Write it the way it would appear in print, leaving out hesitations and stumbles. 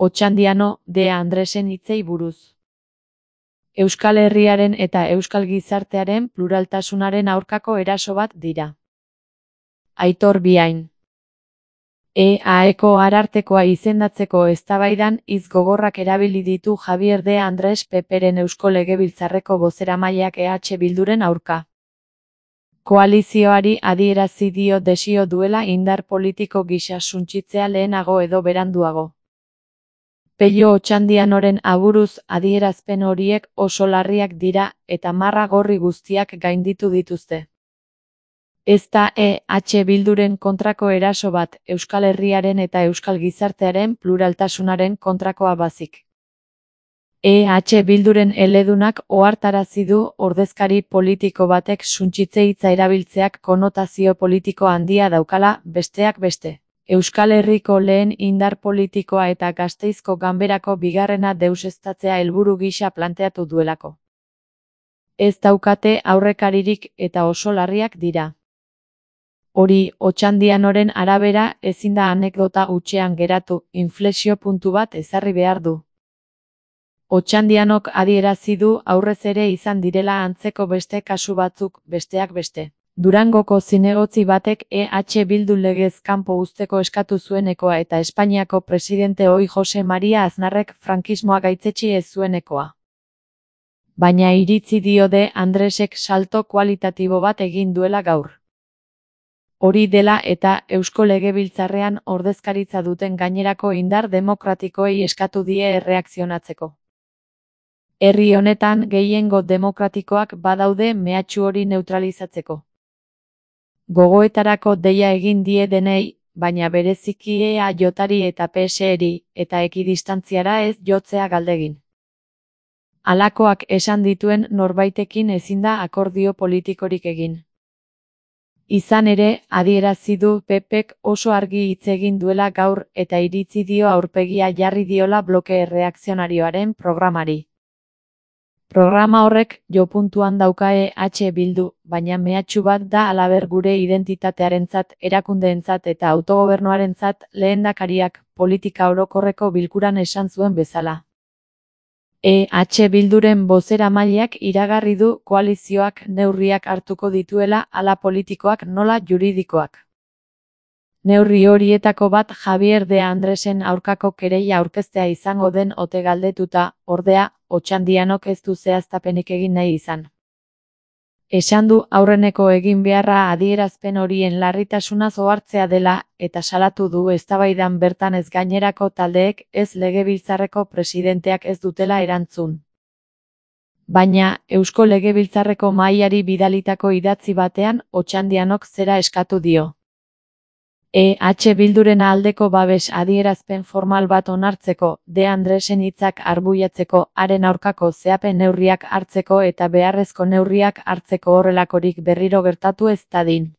Otxandiano de Andresen hitzei buruz. Euskal Herriaren eta euskal gizartearen pluraltasunaren aurkako eraso bat dira. Aitor Biain. EAeko arartekoa izendatzeko eztabaidan hitz gogorrak erabili ditu Javier de Andrés Peperen Eusko Legebiltzarreko bozeramaileak Bilduren aurka. Koalizioari adierazi dio desio duela indar politiko gisa suntsitzea lehenago edo beranduago. Pello Otxandianoren aburuz adierazpen horiek oso larriak dira eta marra gorri guztiak gainditu dituzte. Ez da Bilduren kontrako eraso bat, Euskal Herriaren eta euskal gizartearen pluraltasunaren kontrakoa bazik. Bilduren eledunak ohartarazi du ordezkari politiko batek suntsitze hitza erabiltzeak konotazio politiko handia daukala, besteak beste. Euskal Herriko lehen indar politikoa eta Gasteizko Ganberako bigarrena deuseztatzea helburu gisa planteatu duelako. Ez daukate aurrekaririk eta oso larriak dira. Hori, Otxandianoren arabera ezin da anekdota hutsean geratu, inflexio puntu bat ezarri behar du. Otxandianok adierazi du aurrez ere izan direla antzeko beste kasu batzuk, besteak beste. Durangoko zinegotzi batek Bildu legez kanpo uzteko eskatu zuenekoa eta Espainiako presidente ohi Jose Maria Aznarrek frankismoa gaitzetsi ez zuenekoa. Baina iritzi dio de Andresek salto kualitatibo bat egin duela gaur. Hori dela eta Eusko Legebiltzarrean ordezkaritza duten gainerako indar demokratikoei eskatu die erreakzionatzeko. Herri honetan gehiengo demokratikoak badaude mehatxu hori neutralizatzeko. Gogoetarako deia egin die denei, baina bereziki EAJari eta PSeri, eta ekidistantziara ez jotzea galdegin. Halakoak esan dituen norbaitekin ezin da akordio politikorik egin. Izan ere, adierazi du PPek oso argi hitz egin duela gaur eta iritzi dio aurpegia jarri diola bloke erreakzionarioaren programari. Programa horrek jopuntuan dauka Bildu, baina mehatxu bat da halaber gure identitatearentzat, erakundeentzat eta autogobernuarentzat lehendakariak politika orokorreko bilkuran esan zuen bezala. Bilduren bozeramaileak iragarri du koalizioak neurriak hartuko dituela hala politikoak nola juridikoak. Neurri horietako bat Javier de Andresen aurkako kereila aurkeztea izango den ote galdetuta, ordea, Otxandianok ez du zehaztapenik egin nahi izan. Esan du aurreneko egin beharra adierazpen horien larritasunaz ohartzea dela eta salatu du eztabaidan bertan ez gainerako taldeek ez Legebiltzarreko presidenteak ez dutela erantzun. Baina, Eusko Legebiltzarreko mahaiari bidalitako idatzi batean Otxandianok zera eskatu dio. Bilduren aldeko babes adierazpen formal bat onartzeko, de Andresen hitzak arbuiatzeko, haren aurkako zehapen neurriak hartzeko eta beharrezko neurriak hartzeko horrelakorik berriro gertatu ez dadin.